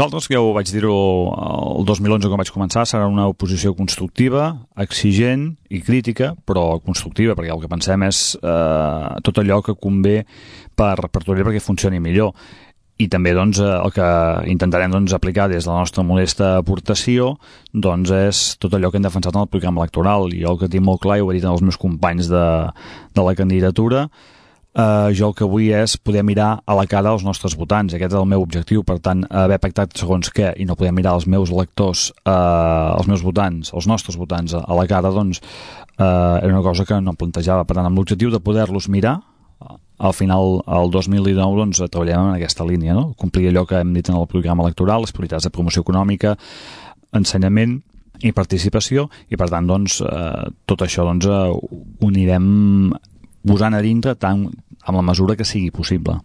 Nosaltres, que ja ho vaig dir-ho el 2011 quan vaig començar, serà una oposició constructiva, exigent i crítica, però constructiva, perquè el que pensem és tot allò que convé per Torelló perquè funcioni millor. I també doncs, el que intentarem doncs, aplicar des de la nostra modesta aportació doncs, és tot allò que hem defensat en el programa electoral. Jo el que tinc molt clar, i ho he dit als meus companys de la candidatura, jo el que vull és poder mirar a la cara als nostres votants. Aquest és el meu objectiu. Per tant, haver pactat segons què i no poder mirar els meus electors, els meus votants, els nostres votants a la cara, doncs era una cosa que no em plantejava. Per tant, amb l'objectiu de poder-los mirar, al final, el 2019, doncs, treballem en aquesta línia, no? Complir allò que hem dit en el programa electoral, les prioritats de promoció econòmica, ensenyament i participació, i per tant, doncs, tot això doncs, ho anirem posant a dintre tant amb la mesura que sigui possible.